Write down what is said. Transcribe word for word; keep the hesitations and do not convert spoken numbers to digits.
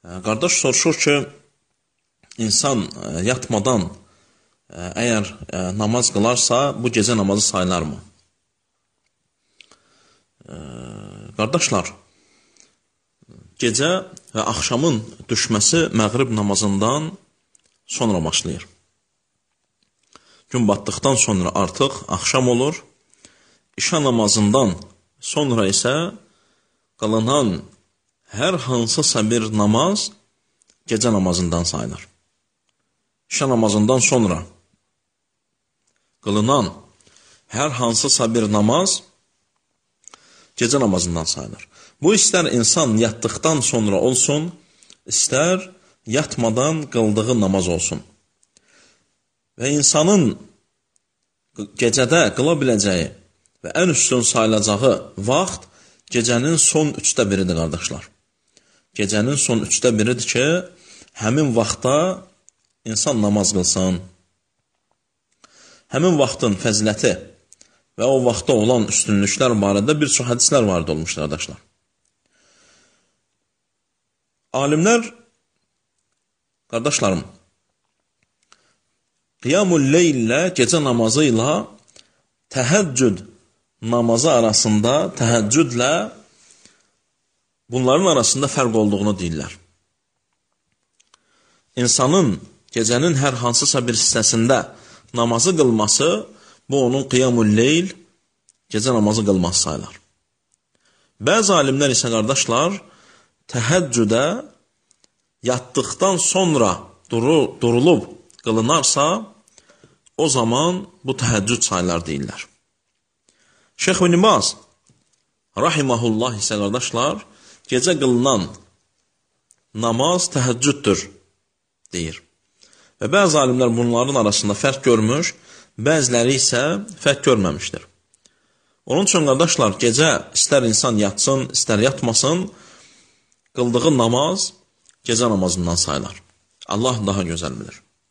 Qardaş soruşur ki, insan yatmadan əgər namaz qılarsa, bu gecə namazı sayılarmı? Qardaşlar, gecə və axşamın düşməsi məğrib namazından sonra başlayır. Gün batdıqdan sonra artıq axşam olur. İşa namazından sonra isə qılınan hər hansısa bir namaz gecə namazından sayılır. İşa namazından sonra qılınan hər hansısa bir namaz gecə namazından sayılır. Bu, istər insan yatdıqdan sonra olsun, istər yatmadan qıldığı namaz olsun. Və insanın gecədə qıla biləcəyi və ən üstün sayılacağı vaxt gecənin son üçdə biridir, qardaşlar. Gecənin son üçdə biridir ki, həmin vaxtda insan namaz qılsın. Həmin vaxtın fəziləti və o vaxtda olan üstünlüklər barədə bir çox hədislər varid olmuşdur, qardaşlar. Alimlər, qardaşlarım, qiyamul leylə, gecə namazı ilə təhəccüd namazı arasında, təhəccüdlə bunların arasında fərq olduğunu deyirlər. İnsanın gecənin hər hansısa bir hissəsində namazı qılması, bu onun qiyamul leyl, gecə namazı qılması sayılar. Bəzi alimlər isə, qardaşlar, təhəccüdə yatdıqdan sonra durulub qılınarsa, o zaman bu təhəccüd sayılar deyirlər. Şeyx ibn Baz rahiməhullah isə, qardaşlar, gecə qılınan namaz təhəccüddür deyir. Və bəzi alimlər bunların arasında fərq görmüş, bəziləri isə fərq görməmişdir. Onun üçün, qardaşlar, gecə istər insan yatsın, istər yatmasın, qıldığı namaz gecə namazından sayılar. Allah daha gözəl bilir.